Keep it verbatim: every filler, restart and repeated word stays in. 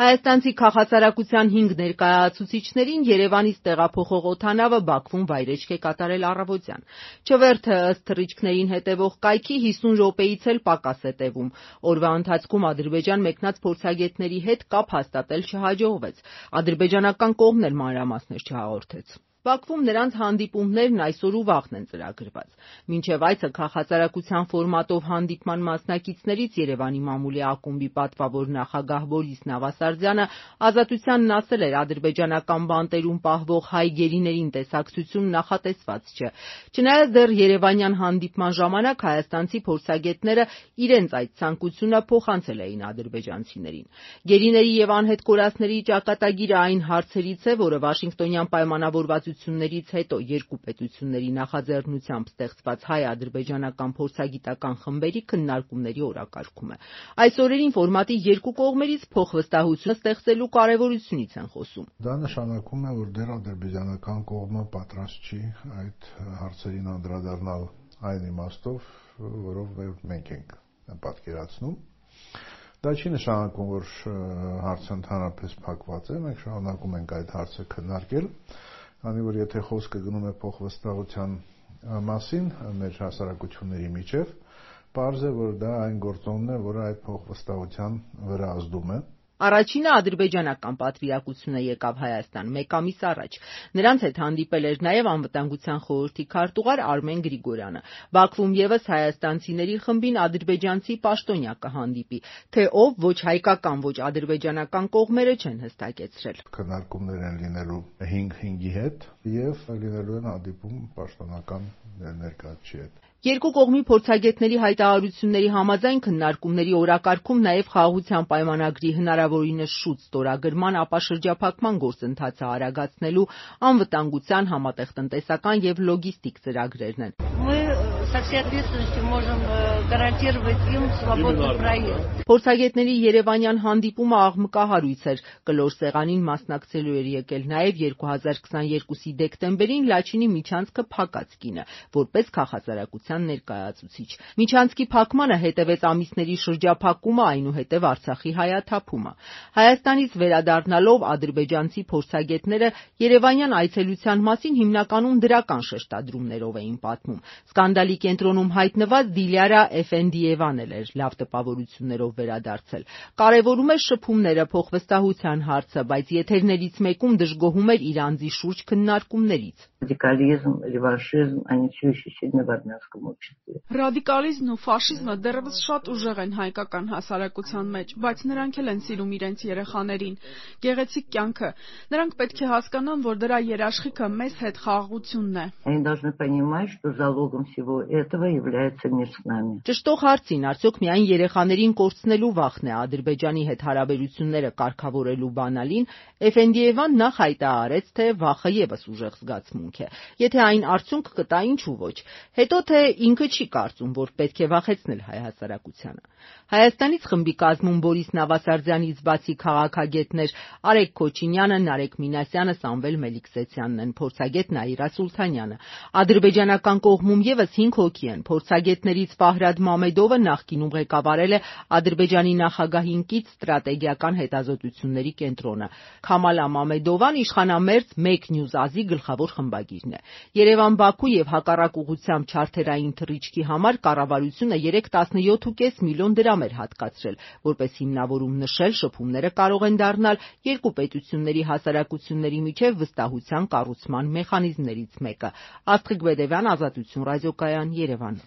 Հայաստանցի քաղաքասարակության հինգ ներկայացուցիչներին Երևանից տեղափոխող օդանավը Բաքվում վայրէջք է կատարել առավոտյան։ Չվերթը ըստ թռիչքներին հետևող կայքի հիսուն րոպեից էլ պակաս է տևում։ Օրվա ընթացքում Ադրբեջան մեկնած փորձագետների հետ կապ հաստատել չհաջողվեց։ Ադրբեջանական կողմն էլ մանրամասներ չհաղորդեց։ Բաքվում նրանց հանդիպումներն այսօր ու վաղն են ծրագրված։ Մինչև այցը քաղաքասարակության ֆորմատով հանդիպման մասնակիցներից Երևանի մամուլի ակումբի պատվավոր նախագահ Բորիս Նավասարդյանը Ազատությանն ասել էր, ադրբեջանական բանտերում պահվող հայ գերիներին տեսակցություն նախատեսված չէ։ Չնայած դեռ երևանյան հանդիպման ժամանակ հայաստանցի փորձագետները իրենց այդ ցանկությունը փոխանցել էին ադրբեջանցիներին։ Գերիների եւ անհետ կորածների ճակատագիրը այն հարցերից է, որը Վաշինգտոնյան պայմանավորվածություններից հետո երկու պետությունների նախաձեռնությամբ ստեղծված հայ-ադրբեջանական փորձագիտական խմբերի քննարկումների օրակարգում է։ Այս օրերին ֆորմատի երկու կողմերից փոխվստահություն ստեղծելու կարևորությունից են խոսում։ Դա նշանակում է, որ դեռ ադրբեջանական կողմը պատրաստ չի այդ հարցերին անդրադառնալ այն իմաստով, որով մենք ենք պատկերացնում։ Դա չի նշանակում, որ հարցը ընդհանրապես փակված է, մենք շարունակում ենք այդ հարցը քննարկել, քանի որ եթե խոսքը գնում է փոխվստահության մասին մեր հասարակությունների միջև, պարզ է, որ դա այն գործոնն է, որը այդ փոխվստահության վրա ազդում է։ Առաջինը ադրբեջանական պատվիրակությունը եկավ Հայաստան մեկ ամիս առաջ։ Նրանց հետ հանդիպել էր նաև Անվտանգության խորհրդի քարտուղար Արմեն Գրիգորյանը։ Բաքվում ևս հայաստանցիների խմբին ադրբեջանցի պաշտոնյա կհանդիպի, թե ով ոչ հայկական, ոչ ադրբեջանական կողմերը չեն հստակեցրել։ Քննարկումներ են լինելու հինգ հինգի հետ եւ լինելու են հանդիպում պաշտոնական ներկայացուցիչի հետ։ Երկու կողմի փորձագետների հայտարարությունների համաձայն քննարկումների օրակարգում նաև խաղաղության պայմանագրի հնարավորինս շուտ ստորագրման, ապա շրջափակման գործընթացը արագացնելու, անվտանգության, համատեղ տնտեսական եւ լոգիստիկ ծրագրերն են։ Փորձագետների երևանյան հանդիպումը աղմկահարույց էր։ Կլոր սեղանին մասնակցելու էր եկել նաև երկու հազար քսաներկուսի դեկտեմբերին Լաչինի Միչանցքը փակած կինը, որպես քաղաքասարակության ներկայացուցիչ։ Միչանցքի փակմանը հետևեց ամիսների շրջափակումը, այնուհետև Արցախի հայաթափումը։ Հայաստանից վերադառնալով ադրբեջանցի փորձագետները երևանյան այցելության մասին հիմնականում դրական շեշտադրումներով էին պատմում։ Սկանդալի կենտրոնում հայտնված Դիլյարա Էֆենդիևան էլ էր լավ տպավորություններով վերադարձել։ Կարևորում էր շփումները, փոխվստահության հարցը, բայց եթերներից մեկում դժգոհում էր իր անձի շուրջ քննարկումներից։ Ռադիկալիզմ, ռևանշիզմ, они все еще сильны в армянском обществе։ Ռադիկալիզմն ու ֆաշիզմը դեռևս շատ ուժեղ են հայկական հասարակության մեջ, բայց նրանք էլ են սիրում իրենց երեխաներին։ Գեղեցիկ կյանքը։ Նրանք պետք է հասկանան, որ դրա երաշխիքը մեզ հետ խաղաղությունն է։ Они должны понимать, что залогом всего этого является мир с нами։ Ճշտող հարցին, արդյոք միայն երեխաներին կորցնելու վախն է Ադրբեջանի հետ հարաբերությունները կարգավորելու բանալին, Էֆենդիևան նախ հայտարարեց, թե վախը ևս ուժեղ զգացմունք է։ Եթե այն արդյունք կտա, ինչու ոչ։ Հետո թե ինքը չի կարծում, որ պետք է վախեցնել հայ հասարակությանը։ Հայաստանից խմբի կազմում Բորիս Նավասարդյանից բացի քաղաքագետներ Արեգ Քոչինյանը, Նարեկ Մինասյանը, Սամվել Մելիքսեթյանն են, փորձագետ Նաիրա Սուլթանյանը։ Ադրբեջանական կողմում ևս հինգ հոգի են։ Փորձագետներից Ֆահրադ Մամեդովը նախկինում ղեկավարել է Ադրբեջանի նախագահին կից ստրատեգիական հետազոտությունների կենտրոնը։ Քամալա Մամեդովան իշխանամերձ Մեկ Նյուզ Ազի գլխավոր խմբագիրն է։ Երևան-Բաքու եւ հակառակ ուղղությամբ չարթերային թռիչքի համար կառավարությունը երեկ տասնյոթ ու կես միլիոն դրամ էր հատկացրել, որպես հիմնավորում նշել, շփումները կարող են դառնալ երկու պետությունների հասարակությունների միջև վստահության կառուցման մեխանիզմներից մեկը։ Աստղիկ Բեդևյան, Ազատություն ռադիոկայան, Երևան։